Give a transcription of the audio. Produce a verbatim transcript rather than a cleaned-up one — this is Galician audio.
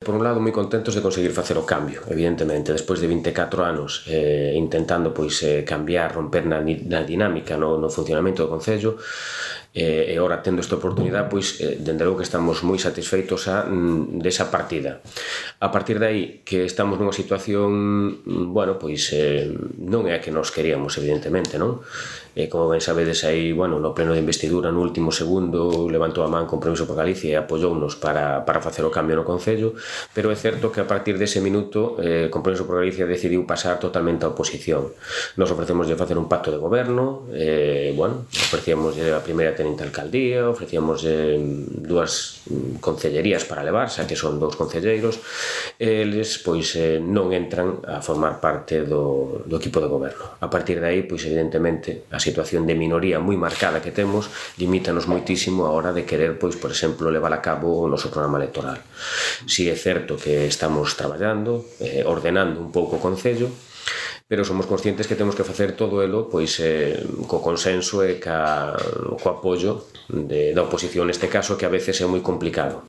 Por un lado, moi contentos de conseguir facer o cambio, evidentemente, despois de vinte e catro anos eh, intentando pois, eh, cambiar, romper na, na dinámica, no, no funcionamento do Concello, eh, e ora tendo esta oportunidade, pois, eh, dende logo que estamos moi satisfeitos a, mm, desa partida. A partir de aí, que estamos nunha situación, bueno, pois, eh, non é a que nos queríamos, evidentemente, non? E como ben sabedes aí, bueno, no pleno de investidura, no último segundo, levantou a man Compromiso por Galicia e apoyounos para, para facer o cambio no Concello, pero é certo que a partir dese minuto eh, Compromiso por Galicia decidiu pasar totalmente á oposición. Nos ofrecemos de facer un pacto de goberno, eh, bueno, ofrecíamos a primeira tenente alcaldía, ofrecíamos eh, dúas concellerías para levar, xa que son dous concelleiros, eles pois eh, non entran a formar parte do, do equipo de goberno. A partir de aí, pois evidentemente, a situación de minoría moi marcada que temos limítanos moitísimo a hora de querer, pois, por exemplo, levar a cabo o noso programa electoral. Si é certo que estamos traballando, eh, ordenando un pouco o Concello, pero somos conscientes que temos que facer todo elo pois, eh, co consenso e ca, co apoio de, da oposición neste caso, que a veces é moi complicado.